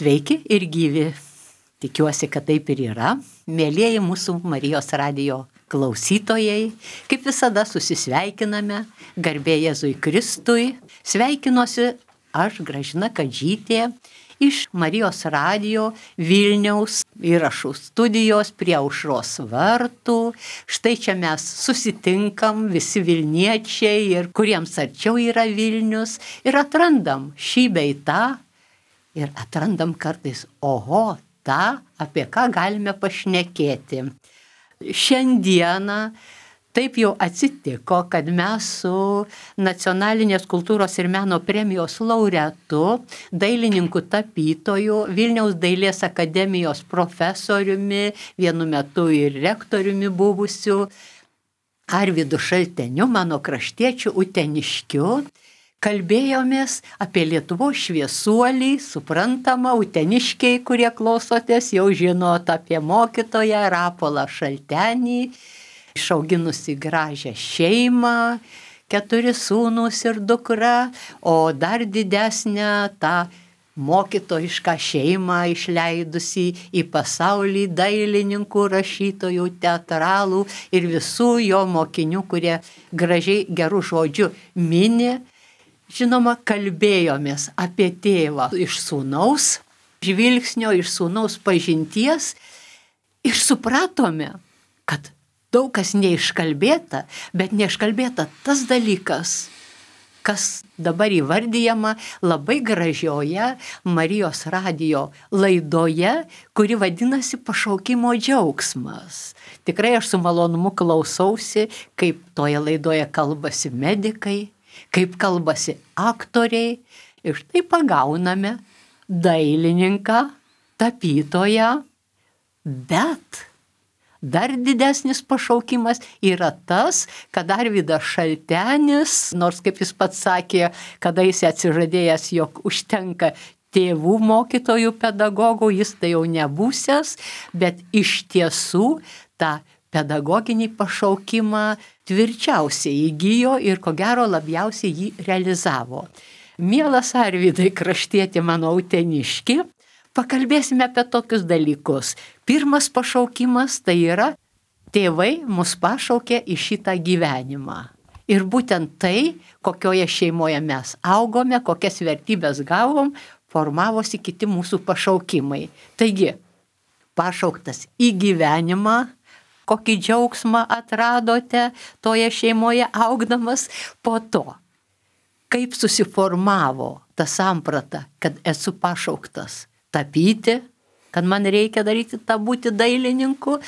Sveiki ir gyvi. Tikiuosi, kad taip ir yra. Mėlieji mūsų Marijos radijo klausytojai, kaip visada susisveikiname, garbė Jėzui Kristui. Sveikinuosi aš, Gražina Kadžytė, iš Marijos radijo Vilniaus įrašų studijos prie Aušros vartų. Štai čia mes susitinkam, visi Vilniečiai ir kuriems arčiau yra Vilnius, ir atrandam šį bei tą. Ir atrandam kartais, oho, tą, apie ką galime pašnekėti. Šiandieną taip jau atsitiko, kad mes su Nacionalinės kultūros ir meno premijos laureatu, dailininku tapytoju, Vilniaus dailės akademijos profesoriumi, vienu metu ir rektoriumi buvusiu, Arvydu Šalteniu, mano kraštiečiu uteniškiu, kalbėjomės apie Lietuvos šviesuolį, suprantama, uteniškiai, kurie klausotės, jau žinot apie mokytoją Rapolą Šaltenį, išauginusi gražią šeimą, 4 sūnūs ir dukra, o dar didesnę tą mokytojišką šeimą išleidusi į pasaulį dailininkų, rašytojų, teatralų ir visų jo mokinių, kurie gražiai gerų žodžių mini. Žinoma, kalbėjomės apie tėvą iš sūnaus žvilgsnio, iš sūnaus pažinties ir supratome, kad daug kas neiškalbėta, bet neiškalbėta tas dalykas, kas dabar įvardyjama labai gražioje Marijos radijo laidoje, kuri vadinasi Pašaukimo džiaugsmas. Tikrai aš su malonumu klausausi, kaip toje laidoje kalbasi medikai, kaip kalbasi aktoriai, ir štai pagauname dailininką, tapytoją, bet dar didesnis pašaukimas yra tas, kad Arvydas Šaltenis, nors kaip jis pats sakė, kada jis atsižadėjęs, jog užtenka tėvų mokytojų pedagogų, jis tai jau nebūsęs, bet iš tiesų tą pedagoginį pašaukimą tvirčiausiai įgijo ir ko gero labiausiai jį realizavo. Mielas Arvydai, kraštieti mano uteniški, pakalbėsime apie tokius dalykus. Pirmas pašaukimas tai yra, tėvai mus pašaukė į šitą gyvenimą. Ir būtent tai, kokioje šeimoje mes augome, kokias vertybės gavom, formavosi kiti mūsų pašaukimai. Taigi, pašauktas į gyvenimą, kokį džiaugsmą atradote toje šeimoje augdamas, po to, kaip susiformavo ta samprata, kad esu pašauktas tapyti, kad man reikia daryti tą būti dailininku,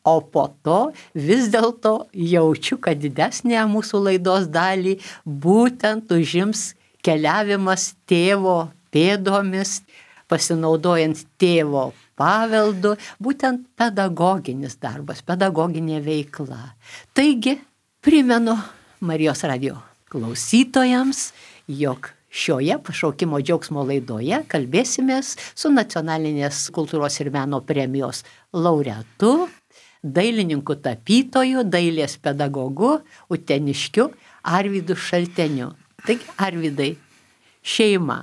o po to vis dėlto jaučiu, kad didesnė mūsų laidos dalį būtent užims keliavimas tėvo pėdomis, pasinaudojant tėvo paveldu, būtent pedagoginis darbas, pedagoginė veikla. Taigi, primenu Marijos radijo klausytojams, jog šioje Pašaukimo džiaugsmo laidoje kalbėsimės su Nacionalinės kultūros ir meno premijos laureatu, dailininku tapytoju, dailės pedagogu, uteniškiu Arvydu Šalteniu. Taigi, Arvydai, šeima,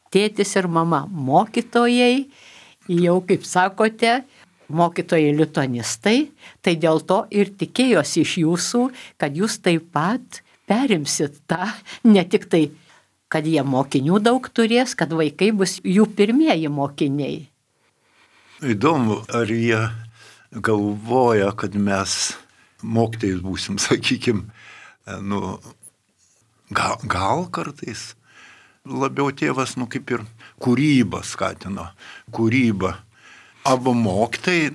tėtis ir mama mokytojai, jau, kaip sakote, mokytojai lituanistai, tai dėl to ir tikėjosi iš jūsų, kad jūs taip pat perimsit tą, ne tik tai, kad jie mokinių daug turės, kad vaikai bus jų pirmieji mokiniai. Įdomu, ar jie galvoja, kad mes mokytojais būsim, sakykime, gal kartais labiau tėvas, kaip ir kūrybą skatino, kūrybą. Abu mokytojai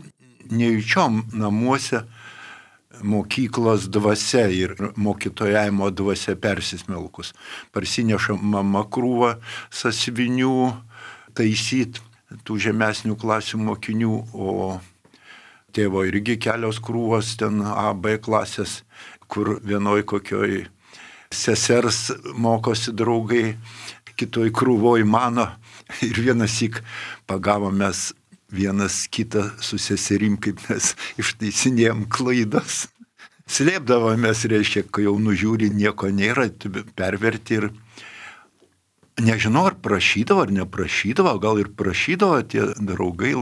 nejučiom namuose mokyklos dvasia ir mokytojavimo dvasia persismelkus. Parsineša mama krūvą sąsiuvinių taisyt tų žemesnių klasių mokinių, o tėvo irgi kelios krūvos ten A, B klasės, kur vienoj kokioj sesers mokosi draugai, kitoj krūvoj mano, ir vienąsyk pagavom mes vienas kitą su seserim, kaip mes ištaisinėjom klaidas. Slėpdavomės, reiškia, kai jau nužiūri, nieko nėra, perverti ir Nežinau, ar prašydavo, ar neprašydavo, gal ir prašydavo tie draugai,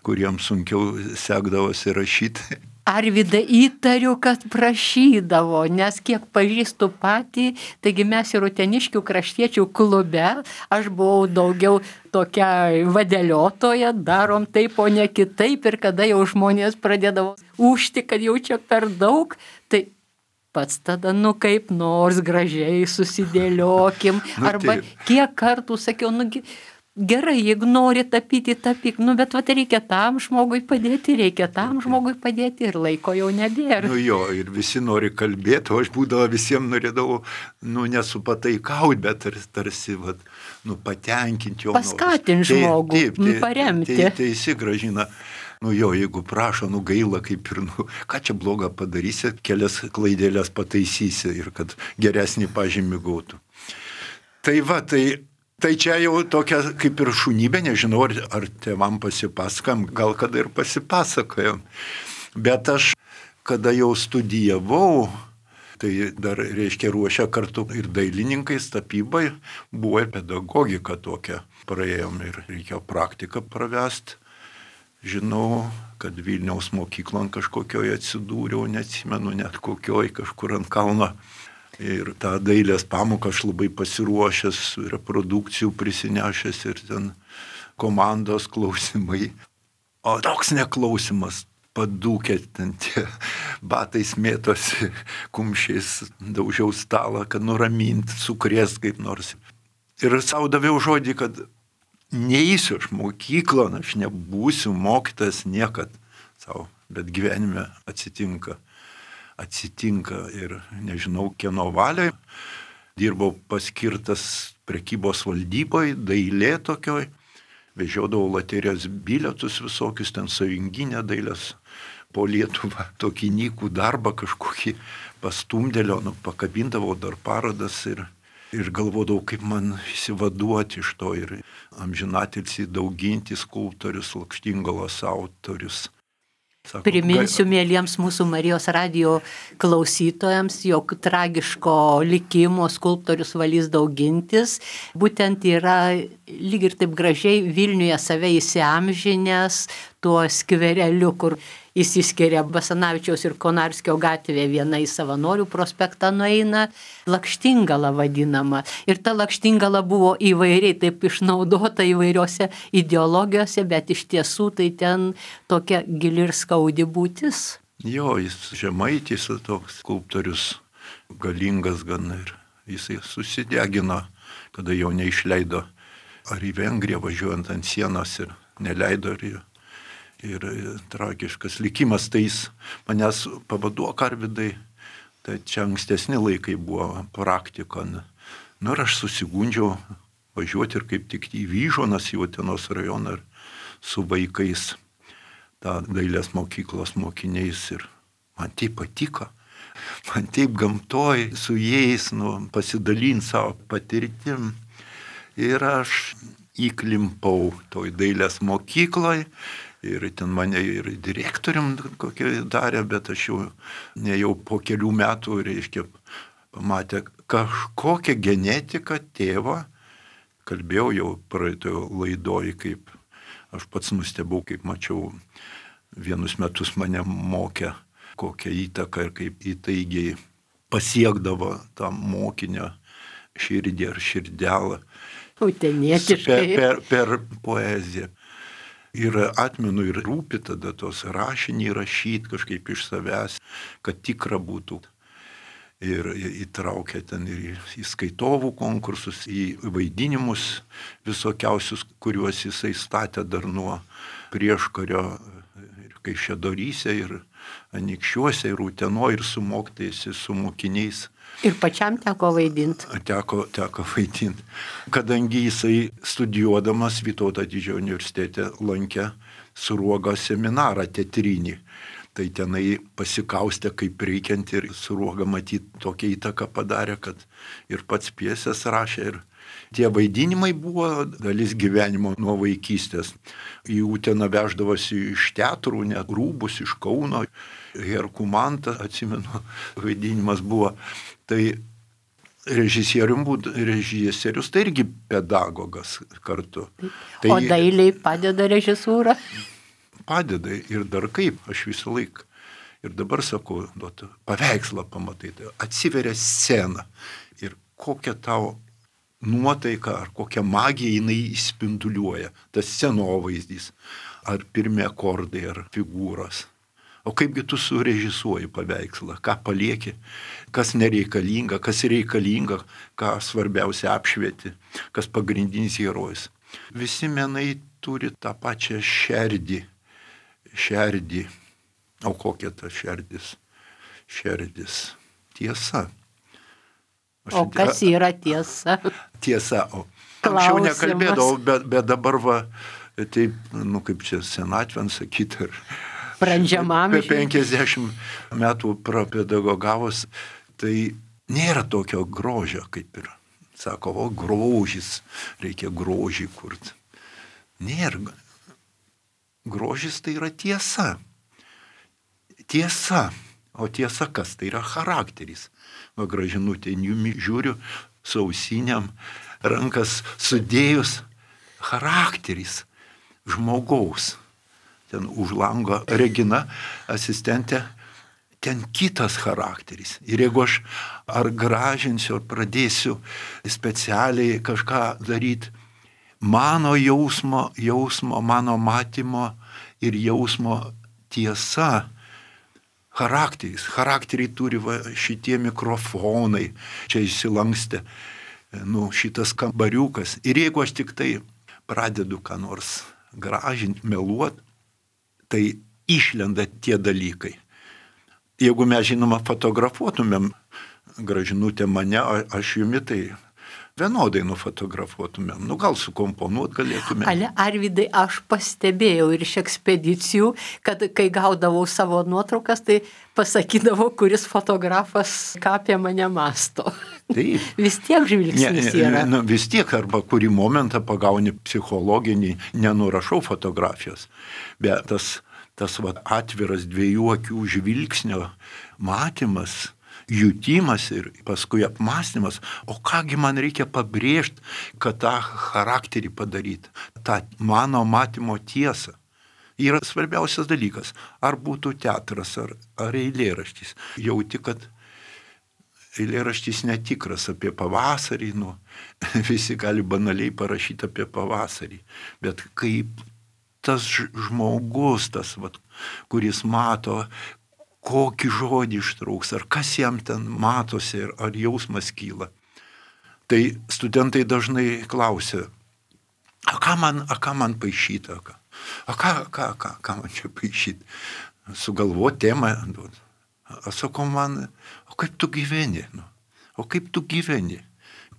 kuriems sunkiau sekdavosi rašyti. Arvydai, įtariu, kad prašydavo, nes kiek pažįstu patį, taigi mes ir Uteniškių kraštiečių klube, aš buvau daugiau tokia vadeliotoja, darom taip, o ne kitaip, ir kada jau žmonės pradėdavo ūžti, kad jau čia per daug, tai pats tada, kaip nors gražiai susidėliokim, arba kiek kartų sakiau, gerai, jeigu nori tapyti, tapyk, bet reikia tam žmogui padėti, ir laiko jau nebėra. Ir visi nori kalbėti, o aš būdavo visiems norėdavau, nesupataikauti, bet tarsi, patenkinti jo. Paskatinti žmogų, paremti. Teisi, Gražina. Jeigu prašo, gaila, kaip ir, ką čia blogą padarysi, kelias klaidėlės pataisysi ir kad geresnį pažymį gautų. Tai čia jau tokia kaip ir šunybė, nežinau, ar tėvam pasipasakam, gal kada ir pasipasakojom. Bet aš, kada jau studijavau, tai dar, ruošia kartu ir dailininkais tapybai, buvo pedagogika tokia. Praėjom ir reikėjo praktiką pravesti. Žinau, kad Vilniaus mokyklon kažkokioje atsidūriau, neatsimenu net kokioj, kažkur ant kalno. Ir tą dailės pamoką aš labai pasiruošęs, reprodukcijų prisinešęs ir ten komandos klausimai. O toks neklausimas, padūkė ten tie batais mėtosi, kumščiais daužiau stalą, kad nuramint, sukrės kaip nors. Ir savo daviau žodį, kad neįsiu aš mokyklą, aš nebūsiu mokytas niekad savo, bet gyvenime atsitinka ir nežinau kieno valiai. Dirbau paskirtas prekybos valdyboje, dailė tokioj, vežiodavau loterijos bilietus visokius, ten sąjunginę dailės po Lietuvą, tokį nykų darbą kažkokį pastumdėlio, pakabindavau dar parodas ir galvodavau, kaip man įsivaduoti iš to ir amžinatilsį Daugintis skulptorius, Lakštingalos autorius. Sako, priminsiu mėlyjams mūsų Marijos radijo klausytojams, jog tragiško likimo skulptorius Valys Daugintis būtent yra lyg ir taip gražiai Vilniuje save įsiamžinęs tuo skvereliu, kur įsiskiria Basanavičiaus ir Konarskio gatvė, viena į Savanorių prospektą nueina, Lakštingala vadinama. Ir ta Lakštingala buvo įvairiai taip išnaudota įvairiose ideologijose, bet iš tiesų tai ten tokia gili ir skaudi būtis. Jo, jis žemaitis, toks skulptorius, galingas gan ir jisai susidegino, kada jau neišleido ar į Vengriją važiuojant ant sienos ir neleido ir tragiškas likimas, tai jis manęs pavaduok, Arvydai, tai čia ankstesni laikai buvo praktika. Ir aš susigundžiau važiuoti ir kaip tik į Vyžuonas, į Utenos rajoną ir su vaikais, tą dailės mokyklos mokiniais ir man tai patiko. Man taip gamtoj su jais pasidalinti savo patirtim ir aš įklimpau toj dailės mokykloj. Ir ten mane ir direktorium kokį darė, bet aš jau po kelių metų, pamatė kažkokią genetiką tėvą. Kalbėjau jau praeitojo laidoj, kaip aš pats nustebau, kaip mačiau, vienus metus mane mokė, kokią įtaką ir kaip įtaigiai pasiekdavo tą mokinio širdį ar širdelą. Utenietiškai. Per poeziją. Ir atmenu ir rūpi tada tos rašinį rašyti kažkaip iš savęs, kad tikra būtų. Ir įtraukia ten ir į skaitovų konkursus, į vaidinimus visokiausius, kuriuos jisai statė dar nuo prieškario ir Kaišiadoryse, ir Anykščiuose, ir Utenoje, ir su mokytojais, ir su mokiniais. Ir pačiam teko vaidinti. Teko vaidinti. Kadangi jisai studijuodamas Vytauto didžiojo universitete lankė Sruogos seminarą teatrinį, tai tenai pasikaustė kaip reikiant ir Sruoga matyt tokią įtaką padarė, kad ir pats pjesės rašė ir tie vaidinimai buvo dalis gyvenimo nuo vaikystės. Į Uteną veždavosi iš teatrų, net rūbus iš Kauno, Herkumantą, atsimenu, vaidinimas buvo. Tai režisierius tai irgi pedagogas kartu. Tai O dailiai padeda režisūra? padeda ir dar kaip, aš visą laiką. Ir dabar sakau, paveikslą pamatai, tai atsiveria scena ir kokia tau nuotaika ar kokia magija jinai įspinduliuoja, tas scenovaizdys, ar pirmi akordai, ar figūros. O kaipgi tu surežisuoji paveikslą, ką palieki, kas nereikalinga, kas reikalinga, ką svarbiausia apšvieti, kas pagrindinis herojus. Visi menai turi tą pačią šerdį. O kokia ta šerdis? Šerdis. Tiesa. O kas yra tiesa? Tiesa. Anksčiau nekalbėdavau, bet dabar va, taip, kaip čia senatvėn sakyti, brandžiamam. 50 metų prapedagogavus, tai nėra tokio grožio, kaip ir sako, grožis, reikia grožį kurti. Nėra. Grožis tai yra tiesa. Tiesa. O tiesa kas? Tai yra charakteris. Va Gražinutė, žiūriu, su ausiniam, rankas sudėjus, charakteris žmogaus. Ten už lango Regina, asistentė, ten kitas charakteris. Ir jeigu aš ar gražinsiu, ar pradėsiu specialiai kažką daryti, mano jausmo, mano matymo ir jausmo tiesa, charakteriai turi šitie mikrofonai, čia įsilankstė, šitas kambariukas. Ir jeigu aš tik tai pradedu ką nors gražinti, meluoti, tai išlenda tie dalykai. Jeigu mes, žinoma, fotografuotumėm Gražinutę mane, aš jumi, tai vienodai nufotografuotumėm. Gal sukomponuot galėtumėm. Ale, Arvydai, aš pastebėjau ir iš ekspedicijų, kad kai gaudavau savo nuotraukas, tai pasakydavau, kuris fotografas ką apie mane mąsto. Taip. Vis tiek žvilgsnis yra. Vis tiek, arba kurį momentą pagauni psichologinį, nenurašau fotografijos. Bet tas atviras dviejų akių žvilgsnio matymas, jutimas ir paskui apmąstymas, o kągi man reikia pabrėžti, kad tą charakterį padaryti, tą mano matymo tiesą. Yra svarbiausias dalykas, ar būtų teatras, ar eilėraštis. Jauti, kad eilėraštis netikras apie pavasarį, visi gali banaliai parašyti apie pavasarį, bet kaip tas žmogus, kuris mato, kokį žodį ištrauks, ar kas jam ten matosi, ar jausmas kyla. Tai studentai dažnai klausia, ką man paišyti, ką man čia paišyti, sugalvoti temą. Sakau man, o kaip tu gyveni?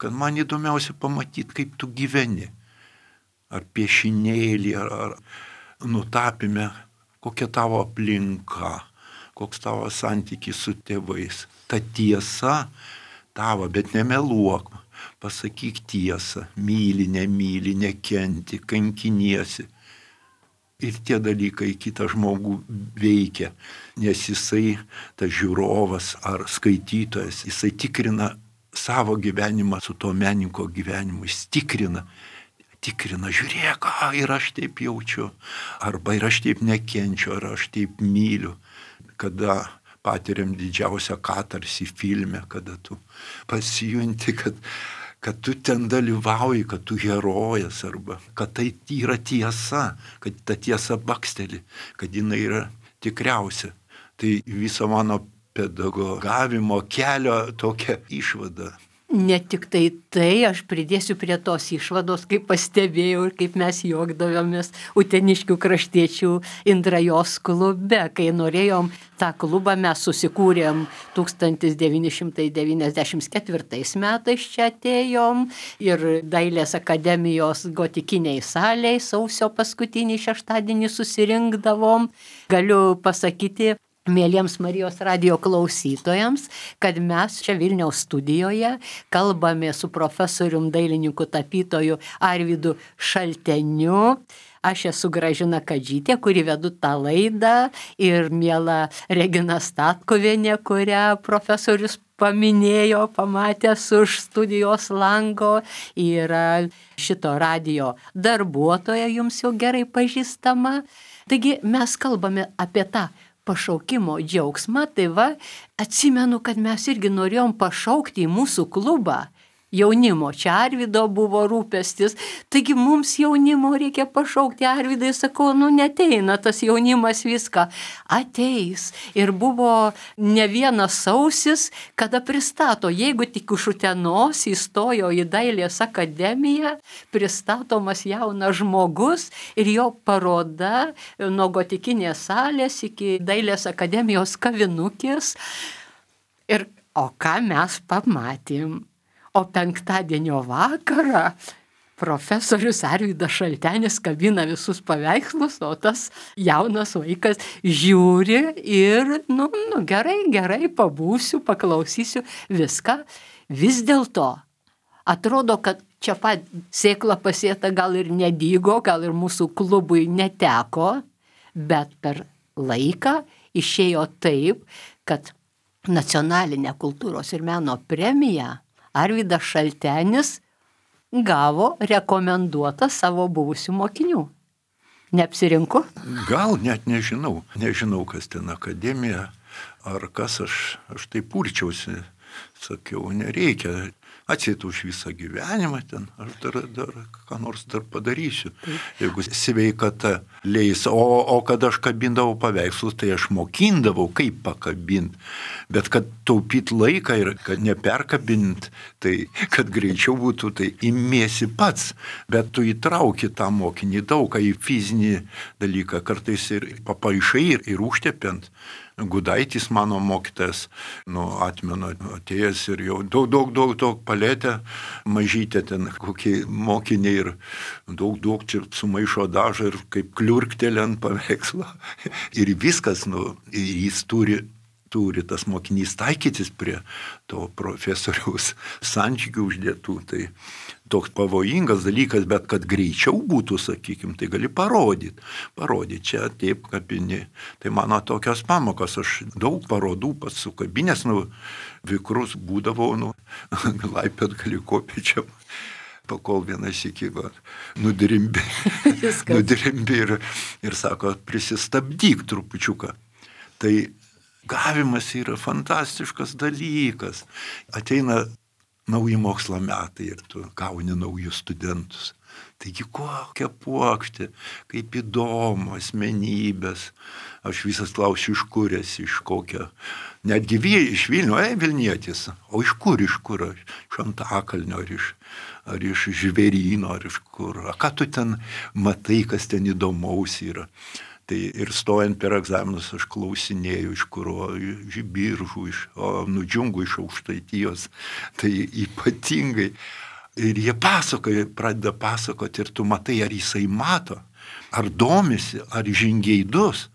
Kad man įdomiausia pamatyti, kaip tu gyveni. Ar piešinėlį, ar nutapime, kokia tavo aplinka, koks tavo santykis su tėvais. Ta tiesa tavo, bet nemeluok, pasakyk tiesą, myli, nemyli, nekenti, kankiniesi. Ir tie dalykai kitą žmogų veikia, nes jisai, tas žiūrovas ar skaitytojas, jisai tikrina savo gyvenimą su to menininko gyvenimu, jis tikrina, žiūrėk, ir aš taip jaučiu, arba ir aš taip nekenčiu, ar aš taip myliu. Kada patiriam didžiausią katarsį filme, kada tu pasijunti, kad tu ten dalyvauji, kad tu herojas, arba kad tai yra tiesa, kad ta tiesa baksteli, kad jinai yra tikriausia. Tai viso mano pedagogavimo kelio tokia išvada. Ne tik tai, aš pridėsiu prie tos išvados, kaip pastebėjau ir kaip mes juokdavomės Uteniškių kraštiečių Indrajos klube. Kai norėjom tą klubą, mes susikūrėm 1994 metais, čia atėjom ir Dailės akademijos gotikiniai saliai sausio paskutinį šeštadienį susirinkdavom. Galiu pasakyti, mėlyms Marijos radijo klausytojams, kad mes čia Vilniaus studijoje kalbame su profesorium dailininku tapytoju Arvydu Šalteniu. Aš esu Gražina Kadžytė, kuri vedu tą laidą, ir miela Regina Statkuvienė, kurią profesorius paminėjo, pamatęs už studijos lango, yra šito radijo darbuotoja, jums jau gerai pažįstama. Taigi mes kalbame apie tą pašaukimo džiaugsmą, tai va, atsimenu, kad mes irgi norėjom pašaukti į mūsų klubą jaunimo. Čia Arvydo buvo rūpestis, taigi mums jaunimo reikia pašaukti. Arvydai, sakau, neteina tas jaunimas viską. Ateis. Ir buvo ne vienas sausis, kada pristato, jeigu tik iš Utenos įstojo į Dailės akademiją, pristatomas jaunas žmogus ir jo paroda nuo gotikinės salės iki Dailės akademijos kavinukės. O ką mes pamatėm? O penktadienio vakarą profesorius Arvydas Šaltenis kabina visus paveikslus, o tas jaunas vaikas žiūri ir, gerai, pabūsiu, paklausysiu viską. Vis dėlto atrodo, kad čia pat sėkla pasėta gal ir nedygo, gal ir mūsų klubui neteko, bet per laiką išėjo taip, kad nacionalinė kultūros ir meno premija Arvydas Šaltenis gavo rekomenduotą savo buvusių mokinių. Neapsirinku? Gal net nežinau. Nežinau, kas ten akademija, ar kas aš taip purčiausi. Sakiau, nereikia. Atseit už visą gyvenimą ten, aš dar ką nors dar padarysiu, jeigu sveikata leis. O kad aš kabindavau paveikslus, tai aš mokindavau, kaip pakabinti. Bet kad taupyt laiką ir kad neperkabint, tai kad greičiau būtų, tai imiesi pats. Bet tu įtrauki tą mokinį daug, į fizinį dalyką, kartais ir papaišai ir užtepiant. Gudaitis, mano mokytas, atmenu, atėjęs ir jau daug palėtę, mažytė ten kokie mokiniai ir daug čia sumaišo dažą ir kaip kliurktelė ant paveikslo. Ir viskas, jis turi tas mokinys taikytis prie to profesoriaus santykių uždėtų. Tai toks pavojingas dalykas, bet kad greičiau būtų, sakykime, tai gali parodyti. Čia taip kabini. Tai mano tokios pamokos, aš daug parodų pats sukabinės, vikrus būdavau, Laipiot gali kopiečiam. Pakol vienas iki nudirimbi ir sako, prisistabdyk trupučiuką. Tai gavimas yra fantastiškas dalykas. Ateina nauji mokslo metai ir tu gauni naujus studentus. Taigi kokia puokštė, kaip įdomu, asmenybės. Aš visas klausiu, iš kur esi, iš kokio. Netgi iš Vilnių, Vilnietis. O iš kur? Iš Antakalnio, ar iš Žvėryno, ar iš kur. Ką tu ten matai, kas ten įdomaus yra. Tai ir stojant per egzaminus aš klausinėjau, iš kuro, iš Biržų, Nudžiungų, iš Aukštaitijos. Tai ypatingai. Ir jie pradeda pasakoti ir tu matai, ar jisai mato, ar domisi, ar žingeidus.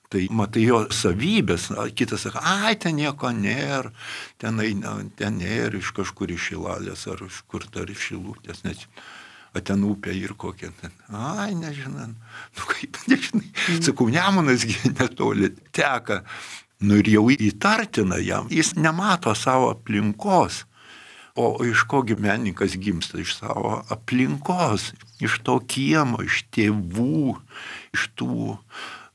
Tai matai jo savybės, kitas sako, ten nieko nėra, ten nėra iš kažkur iš Šilalės, ar iš kur dar iš Šilutės, nes ten upė ir kokia ten. Nežinai, kaip nežinai. Sakau, Nemunas netoli teka. Ir jau įtartina jam, jis nemato savo aplinkos. O iš kogi menininkas gimsta? Iš savo aplinkos, iš to kiemo, iš tėvų, iš tų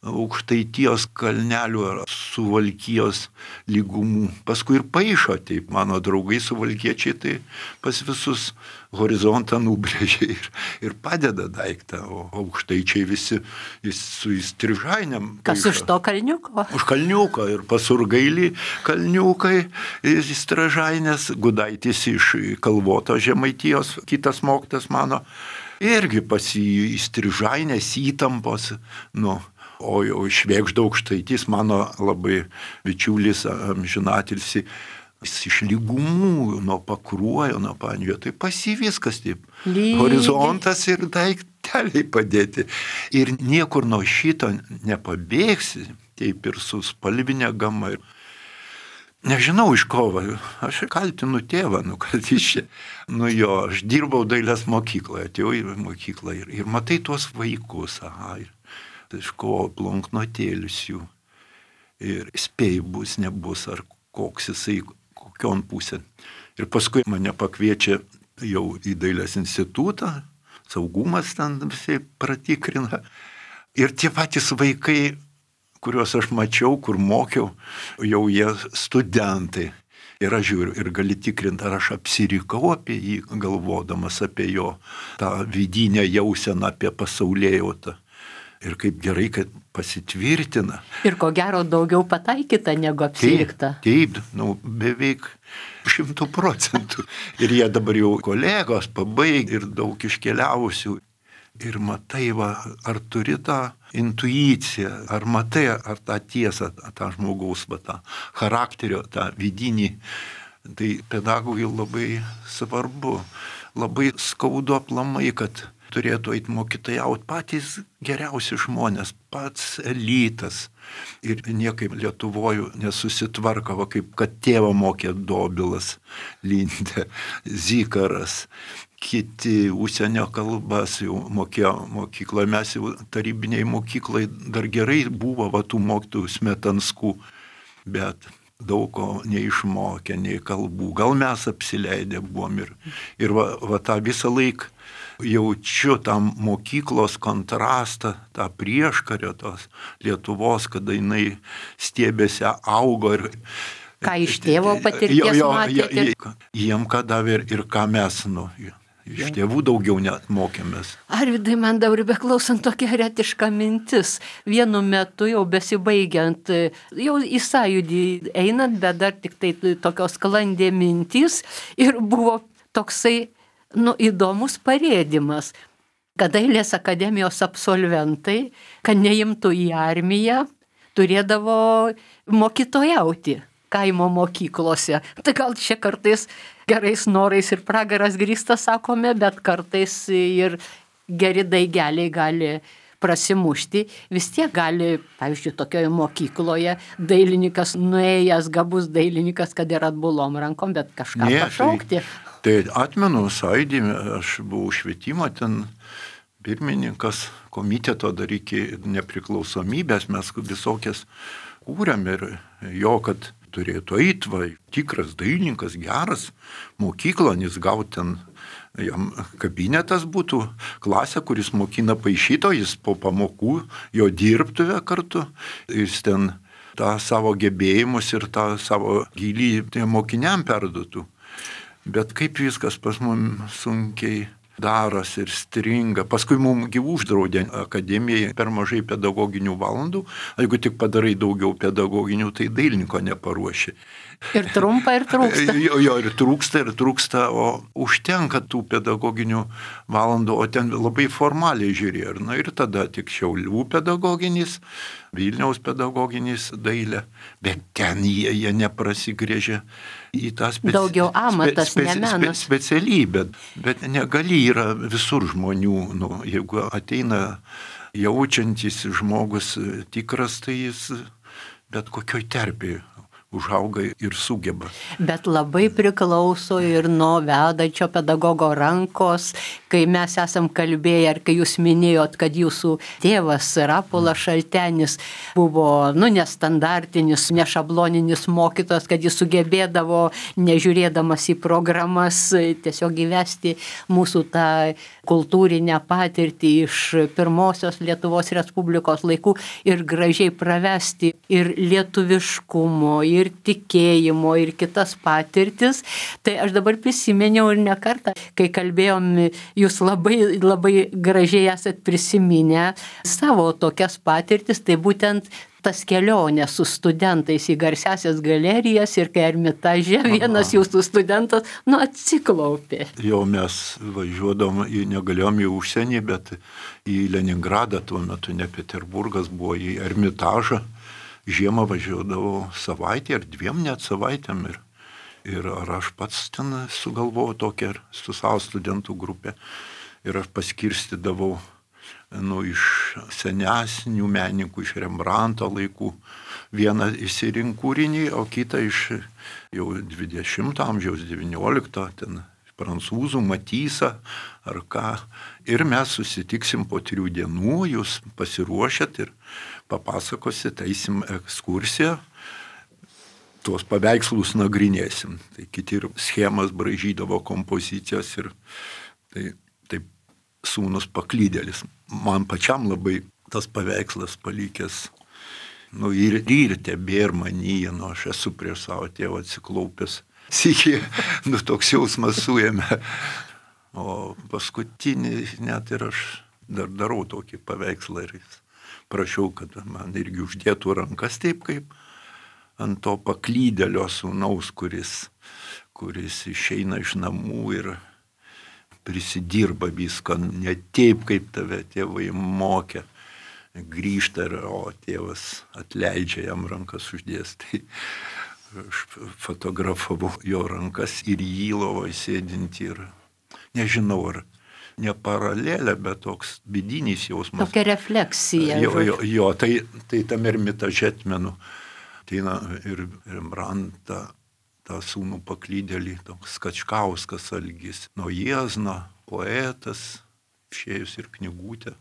Aukštaitijos kalnelių ar Suvalkijos lygumų. Paskui ir paišo, taip, mano draugai suvalkiečiai, tai pas visus horizontą nubrėžia ir padeda daiktą, o aukštaičiai visi su įstrižainiam. Kas iš to kalniuko? Už kalniuko ir pasurgailį kalniukai, įstrižainės, Gudaitis iš Kalvoto Žemaitijos, kitas mokytas mano, irgi pas įstrižainės įtampos, O Švėgžda Aukštaitis, mano labai bičiulis amžinatilsį, jis iš lygumų, nuo Pakruojo, nuo Panevėžio, tai pas jį viskas taip. Horizontas ir daikteliai padėti. Ir niekur nuo šito nepabėgsi. taip ir su spalvinė gama. Nežinau iš ko, aš kaltinu tėvą, kad iš čia. Aš dirbau dailės mokykloje, atėjau į mokyklą ir matai tuos vaikus, iš ko planknotėlius jų. Ir spėjai bus, nebus, ar koks jisai, kokion pusėn. Ir paskui mane pakviečia jau į dailės institutą, saugumas ten visai pratikrina. Ir tie patys vaikai, kuriuos aš mačiau, kur mokiau, jau jie studentai. Ir aš žiūriu, ir gali tikrinti, ar aš apsirikau apie jį, galvodamas apie jo tą vidinę jauseną, apie pasaulėjautą. Ir kaip gerai, kad pasitvirtina. Ir ko gero daugiau pataikyta negu apsirikta. Taip, beveik 100%. Ir jie dabar jau kolegos pabaigė ir daug iškeliavusių. Ir matai, ar turi tą intuiciją, ar matai, ar tą tiesą, tą žmogaus, tą charakterio, tą vidinį. Tai pedagogui labai svarbu, labai skaudu aplamai, kad turėtų eiti mokytojauti patys geriausi žmonės, pats elitas. Ir niekaip Lietuvoje nesusitvarko, kaip kad tėvą mokė Dobilas, Lindė, Zikaras. Kiti užsienio kalbas jau mokėjo mokykloje, mes jau tarybiniai mokyklai dar gerai buvo tų mokytojų Smetanskų, bet daug ko neišmokė, nei kalbų. Gal mes apsileidę buvom ir tą visą laiką jaučiu tam mokyklos kontrastą, tą prieškario tos Lietuvos, kada jinai stiebėse augo ir ką iš tėvo patirties matėte? Jiem ką davė ir ką mes, iš tėvų daugiau net mokėmės. Arvydai, man dabar beklausant tokia heretiška mintis. Vienu metu jau besibaigiant, jau į sąjūdį einant, bet dar tik tai tokios sklandė mintys ir buvo toksai, įdomus parėdimas, kad dailės akademijos absolventai, kad neimtų į armiją, turėdavo mokytojauti kaimo mokyklose. Tai gal čia kartais gerais norais ir pragaras grįstas, sakome, bet kartais ir geri daigeliai gali prasimušti. Vis tiek gali, pavyzdžiui, tokioje mokykloje dailininkas, nuėjęs gabus dailininkas, kad ir atbulom rankom, bet kažką pašaukti. Tai atmenu sąjūdį, aš buvau švietimo ten pirmininkas komiteto dar iki nepriklausomybės, mes visokias kūrėm ir jo, kad turėtų eiti, tikras dailininkas, geras mokyklonis, gauti ten, jam kabinetas būtų, klasė, kuris mokina paišyto, jis po pamokų, jo dirbtuvę kartu, jis ten tą savo gebėjimus ir tą savo gilį mokiniam perduotų. Bet kaip viskas pas mums sunkiai darosi ir stringa. Paskui mums uždraudė akademijai per mažai pedagoginių valandų. Jeigu tik padarai daugiau pedagoginių, tai dailininko neparuoši. Ir trumpa, ir trūksta. Jo, ir trūksta, o užtenka tų pedagoginių valandų, o ten labai formaliai žiūrėjo. Ir tada tik Šiaulių pedagoginis, Vilniaus pedagoginis dailė, bet ten jie neprasigrėžė į tą daugiau amatas, ne menas. Specialybę, bet negali yra visur žmonių, jeigu ateina jaučiantis žmogus tikras, tai jis bet kokioj terpėje užauga ir sugeba. Bet labai priklauso ir nuo vedančio pedagogo rankos, kai mes esam kalbėję, ar kai jūs minėjot, kad jūsų tėvas Rapolas Šaltenis buvo, nestandartinis, nešabloninis mokytojas, kad jis sugebėdavo, nežiūrėdamas į programas, tiesiog įvesti mūsų tą kultūrinę patirtį iš pirmosios Lietuvos Respublikos laikų ir gražiai pravesti ir lietuviškumo, ir tikėjimo, ir kitas patirtis. Tai aš dabar prisiminiau ir ne kartą, kai kalbėjom, jūs labai, labai gražiai esat prisiminę savo tokias patirtis, tai būtent tas kelionė su studentais į garsiasias galerijas ir kai Ermitaže vienas jūsų studentas, atsiklaupė. Jau mes važiuodom, negalėjom į užsienį, bet į Leningradą, tuo metu ne Peterburgas, buvo į Ermitažą. Žiemą važiuodavau savaitę ar 2 net savaitėm ir ar aš pats ten sugalvojau tokią su savo studentų grupę ir aš paskirstydavau iš senesnių menininkų, iš Rembranto laikų. Vieną išsirink kūrinį, o kitą iš jau 20 amžiaus, 19, ten prancūzų, Matysą ar ką. Ir mes susitiksim po 3 dienų, jūs pasiruošėt ir papasakosit, eisim ekskursiją, tuos paveikslus nagrinėsim. Tai kiti ir schemas braižydavo, kompozicijas ir taip sūnus paklydėlis. Man pačiam labai tas paveikslas palikęs, ir tebėr manyje, aš esu prieš savo tėvą atsiklaupęs. Sykį, toks jausmas suėmė. O paskutinį net ir aš dar darau tokį paveikslą ir prašiau, kad man irgi uždėtų rankas taip, kaip ant to paklydėlio sūnaus, kuris išeina iš namų ir prisidirba viską, ne taip, kaip tave tėvai mokė. Grįžta, o tėvas atleidžia, jam rankas uždės. Tai aš fotografavau jo rankas ir jį lovoje sėdinti ir nežinau, ar ne paralelė, bet toks vidinis jausmas. Tokia refleksija. Jo, tai tam Ermitaže atmenu. Tai ir Rembrandtą, tą sūnų paklydėlį, toks Kačkauskas Algis, Jiezno, poetas, išėjus ir knygutė,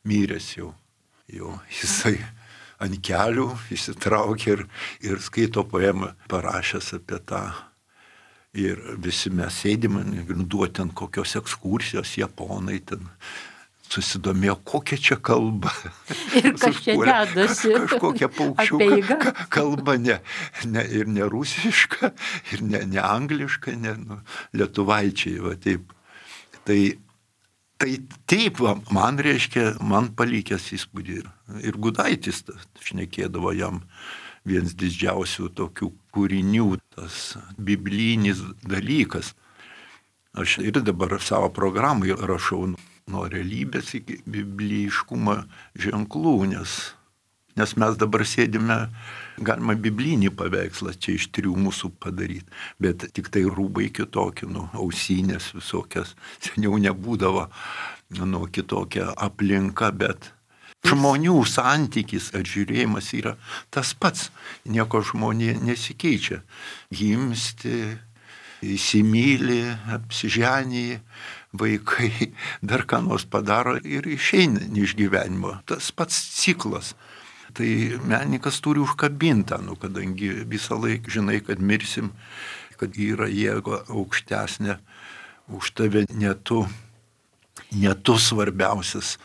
miręs jau. Jisai ant kelių įsitraukė ir skaito poemą parašęs apie tą. Ir visi mes sėdime, duoti ten kokios ekskursijos, japonai ten susidomėjo, kokia čia kalba. Ir kas čia dedasi. Kažkokia paukščiuka kalba, ir ne rusiška, ir ne angliška, lietuvaičiai, va taip. Tai taip, man reiškia, man palikęs įspūdį. Ir Gudaitis šnekėdavo jam vienas didžiausių tokių kūrinių, tas biblinis dalykas. Aš ir dabar savo programai rašau nuo realybės iki bibliškumo ženklų, nes mes dabar sėdime, galima biblinį paveikslą čia iš 3 mūsų padaryti, bet tik tai rūbai kitokie, ausinės visokias, seniau nebūdavo, kitokia aplinka, bet žmonių santykis, atžiūrėjimas yra tas pats, nieko žmonė nesikeičia, gimsti, įsimyli, apsiženyji, vaikai dar ką nors padaro ir išeina iš gyvenimo, tas pats ciklas. Tai menininkas turi užkabintą, kadangi visą laiką žinai, kad mirsim, kad yra jėga aukštesnė už tave, ne tu svarbiausias.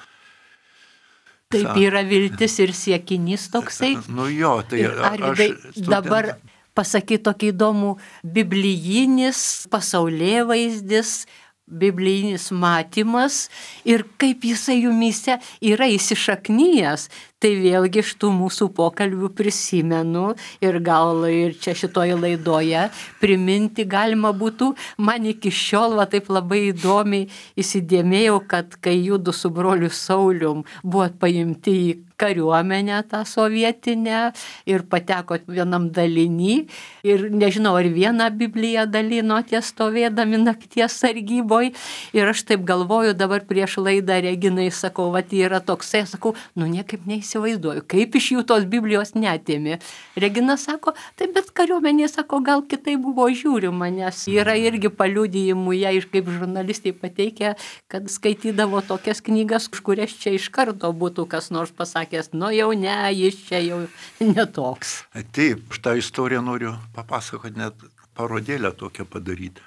Taip yra viltis ir siekinys toksai. Tai Arvydai, dabar pasakyti tokį įdomų biblijinis pasaulėvaizdis, biblijinis matymas ir kaip jisai jumyse yra įsišaknyjęs. Tai vėlgi iš tų mūsų pokalbių prisimenu ir gal ir čia šitoje laidoje priminti galima būtų. Man iki šiol taip labai įdomiai įsidėmėjau, kad kai judu su broliu Saulium buvot paimti į kariuomenę tą sovietinę ir patekot vienam dalinį ir nežinau, ar vieną Bibliją dalinote stovėdami nakties sargyboj. Ir aš taip galvoju dabar prieš laidą Reginai, sakau, yra toksai, sakau, niekaip neįsivaizduoju, kaip iš jų tos Biblijos netėmė. Regina sako, tai bet kariuomenė, sako, gal kitai buvo žiūrima, nes yra irgi paliudijimų, jie kaip žurnalistai pateikia, kad skaitydavo tokias knygas, už kurias čia iš karto būtų kas nors pasakęs, jau ne, jis čia jau netoks. Taip, šitą istoriją noriu papasakoti, net parodėlę tokią padaryti.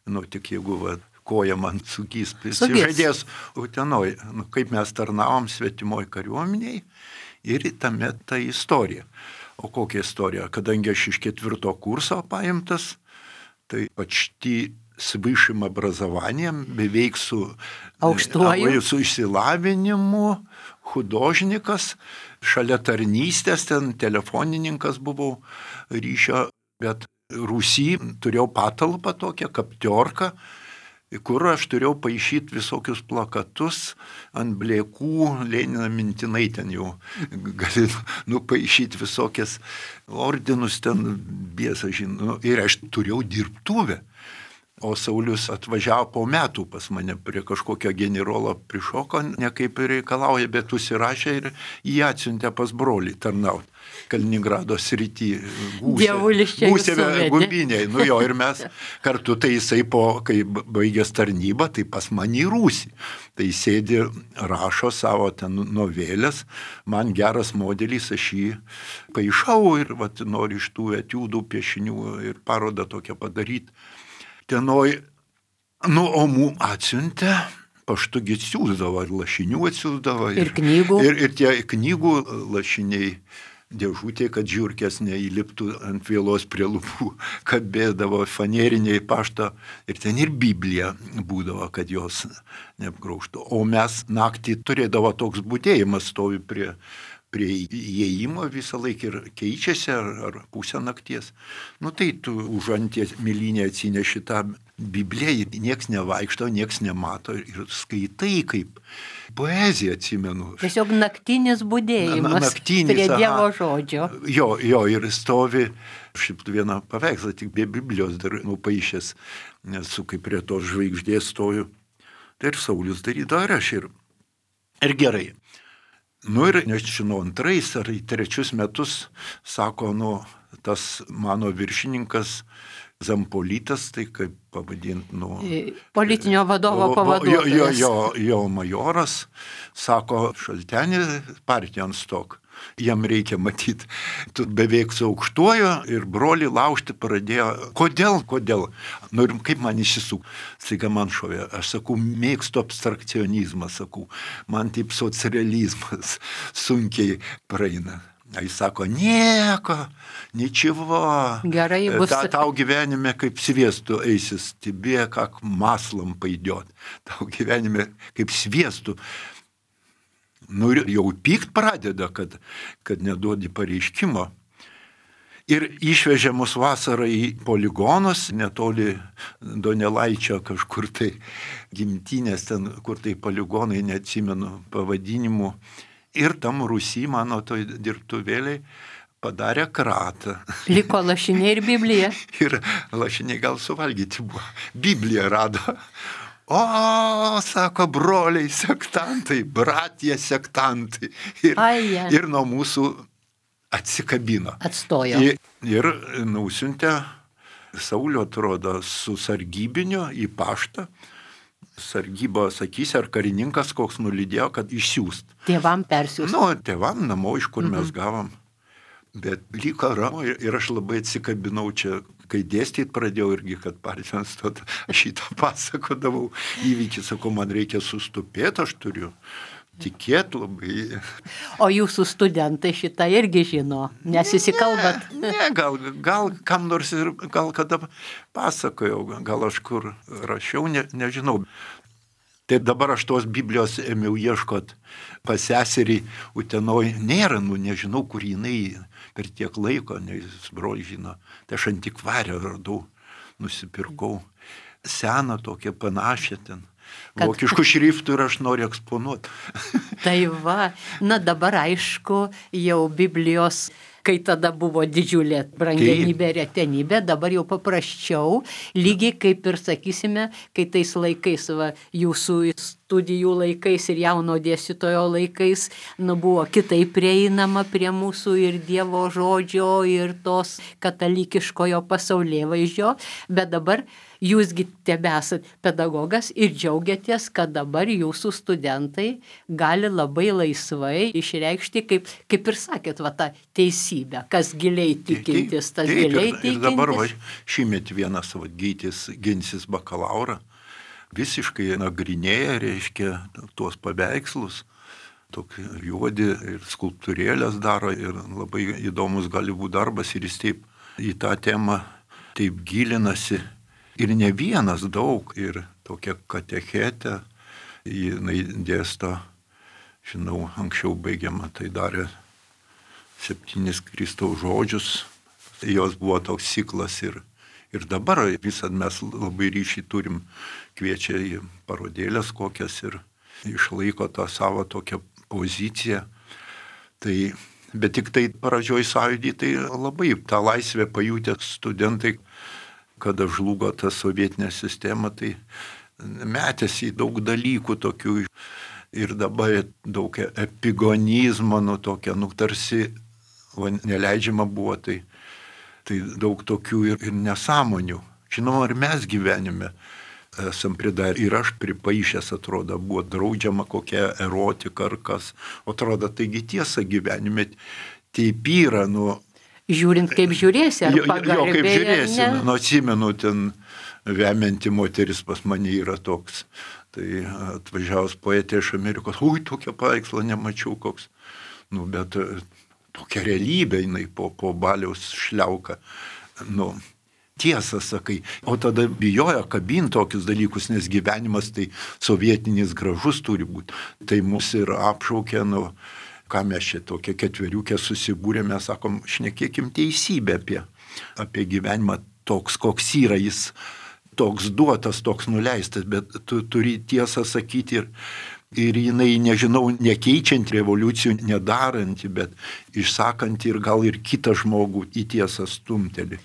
Tik jeigu koja man sugys, prisižadės Utenoj, kaip mes tarnavom svetimoj kariuomeniai ir tame ta istorija. O kokia istorija? Kadangi aš iš 4 kurso paimtas, tai почти с высшим образованием, beveik su išsilavinimu, hudожnikas, šalia tarnystės, ten telefonininkas buvau ryšio, bet Rusy turėjau patalpą tokią, kaptiorką, kur aš turėjau paišyti visokius plakatus ant blėkų, Leniną mintinai ten jau gali nupaišyti visokias ordinus ten biesą žinau. Ir aš turėjau dirbtuvę. O Saulius atvažiavo po metų pas mane, prie kažkokio generolo prišoko, ne kaip reikalauja, bet užsirašė ir jį atsiuntė pas brolį tarnauti. Kaliningrado srity gūsėme gumbiniai. Nu jo, ir mes kartu, tai jisai kai baigęs tarnybą, tai pas mane į Rūsį. Tai sėdi, rašo savo ten novelės, man geras modelis, aš jį paišau ir noriu iš tų etiudų, piešinių ir parodą tokią padaryti. Tenoj, o mū atsiuntė, paštugi atsiūsdavo, ir lašinių atsiūsdavo. Ir knygų. Ir tie knygų lašiniai dėžutė, kad žiurkės neįliptų ant vielos prie lūpų, kabėdavo faneriniai pašto. Ir ten ir Biblija būdavo, kad jos neapgraužtų. O mes naktį turėdavo toks būdėjimas, stovi prie įėjimo visą laiką ir keičiasi ar pusę nakties. Nu tai tu už anties milinę atsineši tą Bibliją, nieks nevaikšto, nieks nemato ir skaitai kaip poeziją, atsimenu. Tiesiog naktinis būdėjimas prie Dievo žodžio. Jo, ir stovi šiaip vieną paveikslą, tik be Biblijos dar nupaišęs, nes kaip prie tos žvaigždės stoju. Tai ir Saulius darydavo ir aš ir gerai. Nu ir nežinau, 2 ar 3 metus, sako, tas mano viršininkas Zampolitas, tai kaip pavadinti, politinio vadovo pavaduotojas. Jo majoras, sako, Šaltenį partijan stok. Jam reikia matyti, tu beveik su aukštuoju ir brolį laužti pradėjo. Kodėl? Nu ir kaip man išsisuk? Staiga man šovė, aš sakau, mėgstu abstrakcionizmą, sakau, man taip socrealizmas sunkiai praeina. Jis sako, ničevo, gerai bus. Tau gyvenime kaip sviestu eisis, тебе как маслом пойдет. Tau gyvenime kaip sviestu. Nu ir jau pykt pradeda, kad neduodi pareiškimo. Ir išvežė mus vasarą į poligonus, netoli Donelaičio kažkur tai gimtinės, ten kur tai poligonai, neatsimenu pavadinimų. Ir tam Rūsy mano toj dirbtuvėliai padarė kratą. Liko lašiniai ir Biblija. Ir lašiniai gal suvalgyti buvo. Bibliją rado. O, sako, broliai sektantai, bratija sektantai. Ir nuo mūsų atsikabino. Atstojo. Ir nusiuntė Saulio, atrodo, su sargybiniu į paštą. Sargyba, sakysi, ar karininkas koks nulydėjo, kad išsiųst. Tėvam persiųst. Tėvam namo, iš kur mes gavom. Bet liko ramu ir aš labai atsikabinau čia, kai dėstyti pradėjau irgi, kad partijan stot, aš šitą pasakodavau įvykį, sakau, man reikia sustupėti, aš turiu tikėti labai. O jūsų studentai šitą irgi žino, nes įsikalbat. Ne, gal kam nors ir gal kada pasakojau, gal aš kur rašiau, nežinau. Tai dabar aš tos Biblijos ėmiau ieškot pas seserį Utenoj. Nėra, nežinau, kur jinai per tiek laiko, nes broliai žino. Tai aš antikvarę radau, nusipirkau. Seną tokią panašią ten. Vokiškų šriftų ir aš noriu eksponuoti. Tai va, dabar aišku, jau Biblijos, kai tada buvo didžiulė brangenybė, retenybė, dabar jau paprasčiau, lygiai kaip ir, sakysime, kai tais laikais, jūsų studijų laikais ir jauno dėstytojo laikais, buvo kitaip prieinama prie mūsų ir Dievo žodžio, ir tos katalikiškojo pasaulėvaizdžio, bet dabar jūsgi tebesat pedagogas ir džiaugiatės, kad dabar jūsų studentai gali labai laisvai išreikšti, kaip ir sakėt, tą teisybę, kas giliai tikintis, tas giliai tikintis. Ir dabar šįmet vienas gytis ginsis bakalaurą, visiškai nagrinėja, reiškia, tuos paveikslus, tokį juodį ir skulptūrėlės daro ir labai įdomus gali būti darbas ir jis taip į tą temą taip gilinasi. Ir ne vienas, daug, ir tokia katechetė, jinai dėsto, žinau, anksčiau baigiama, tai darė 7 Kristaus žodžius, jos buvo toks ciklas ir dabar visad mes labai ryšį turim, kviečia į parodėlės kokias ir išlaiko tą savo tokią poziciją. Bet tik tai pradžioj sąjūdį, tai labai tą laisvę pajutę studentai, kada žlugo ta sovietinė sistema, tai metėsi į daug dalykų tokių ir dabar daug epigonizmo, tokia, tarsi neleidžiama buvo, tai daug tokių ir nesąmonių. Žinoma, ir mes gyvenime esam pridarę. Ir aš pripaišęs, atrodo, buvo draudžiama kokia erotika ar kas. Atrodo, taigi tiesa gyvenime taip yra, Žiūrint, kaip žiūrėsi, ar pagarbiai. Jo, kaip žiūrėsi, atsimenu, ten vemianti moteris pas mane yra toks. Tai atvažiavus poetė iš Amerikos, tokia paveikslą nemačiau koks. Bet tokia realybė, jinai po baliaus šliauka. Tiesą sakai, o tada bijojo kabinti tokius dalykus, nes gyvenimas tai sovietinis gražus turi būti. Tai mus ir apšaukė, ką mes čia tokia ketveriukė susibūrėme, sakom, šnekėkim teisybę apie gyvenimą toks, koks yra, jis toks duotas, toks nuleistas, bet tu turi tiesą sakyti ir jinai, nežinau, nekeičiant revoliucijų, nedaranti, bet išsakanti ir gal ir kitą žmogų į tiesą stumtelį.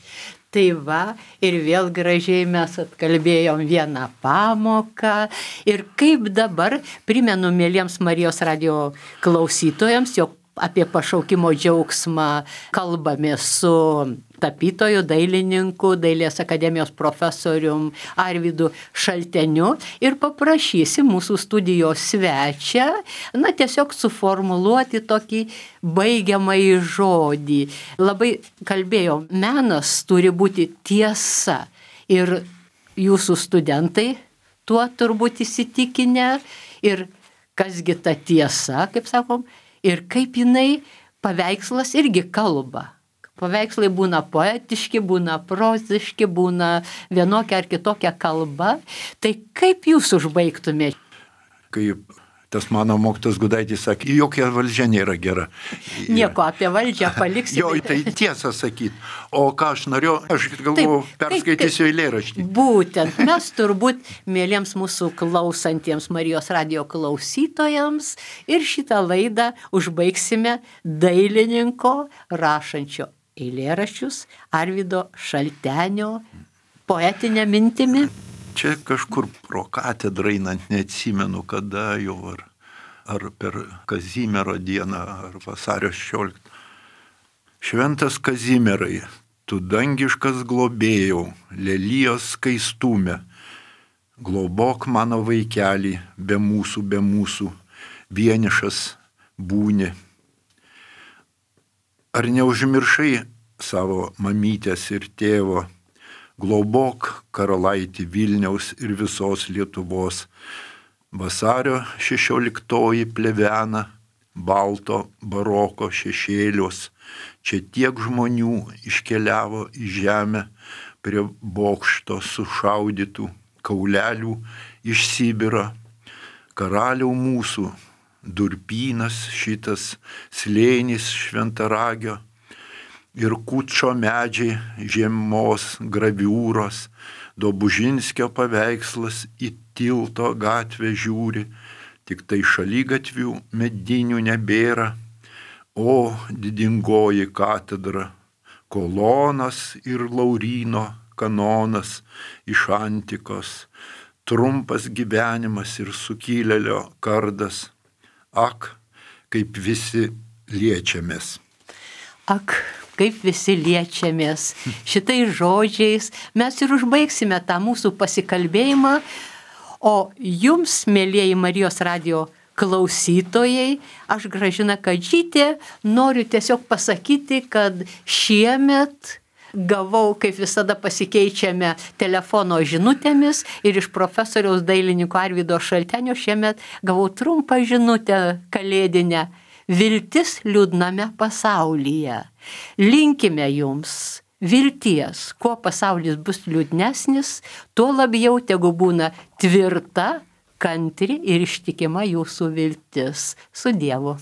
Tai va, ir vėl gražiai mes atkalbėjom vieną pamoką. Ir kaip dabar, primenu mieliems Marijos radijo klausytojams, jog apie pašaukimo džiaugsmą kalbame su tapytoju, dailininku, Dailės akademijos profesorium Arvydu Šalteniu ir paprašysim mūsų studijos svečią, tiesiog suformuluoti tokį baigiamąjį žodį. Labai kalbėjom, menas turi būti tiesa ir jūsų studentai tuo turbūt įsitikinę ir kasgi ta tiesa, kaip sakom, ir kaip jinai paveikslas irgi kalba. Paveikslai būna poetiški, būna proziški, būna vienokia ar kitokia kalba. Tai kaip jūs užbaigtumėte? Kaip tas mano mokytojas Gudaitis sakė, jokia valdžia nėra gera. Nieko apie valdžią paliksime. Jo, tai tiesą sakyti. O ką aš norėjau, aš galvoju, perskaitysiu eilėraštį. Būtent, mes turbūt mėlyms mūsų klausantiems Marijos radijo klausytojams ir šitą laidą užbaigsime dailininko rašančio eilėraščius Arvydo Šaltenio poetinę mintimi. Čia kažkur pro katedrą einant, neatsimenu kada jau, ar per Kazimiero dieną, ar vasario 16. Šventas Kazimierai, tu dangiškas globėjau, lelijos skaistume, globok mano vaikelį, be mūsų, vienišas būni. Ar neužmiršai savo mamytės ir tėvo, globok karalaitį Vilniaus ir visos Lietuvos. Vasario 16 plevena, balto baroko šešėlios. Čia tiek žmonių iškeliavo į žemę prie bokšto sušaudytų kaulelių iš Sibiro. Karaliau mūsų, durpynas šitas, slėnis šventaragio, ir Kučo medžiai, žiemos graviūros, Dobužinskio paveikslas į tilto gatvę žiūri, tik tai šaligatvių medinių nebėra, o didingoji katedra, kolonas ir Lauryno kanonas iš antikos, trumpas gyvenimas ir sukilėlio kardas, ak, kaip visi liečiamės. Ak, kaip visi liečiamės. Šitais žodžiais mes ir užbaigsime tą mūsų pasikalbėjimą, o jums, mėlieji Marijos radijo klausytojai, aš Gražina Kadžytė noriu tiesiog pasakyti, kad šiemet gavau, kaip visada pasikeičiame telefono žinutėmis ir iš profesoriaus dailininko Arvydo Šaltenio šiemet gavau trumpą žinutę kalėdinę. Viltis liūdname pasaulyje. Linkime jums vilties, kuo pasaulis bus liūdnesnis, tuo labiau tegu būna tvirta, kantri ir ištikima jūsų viltis. Su Dievu.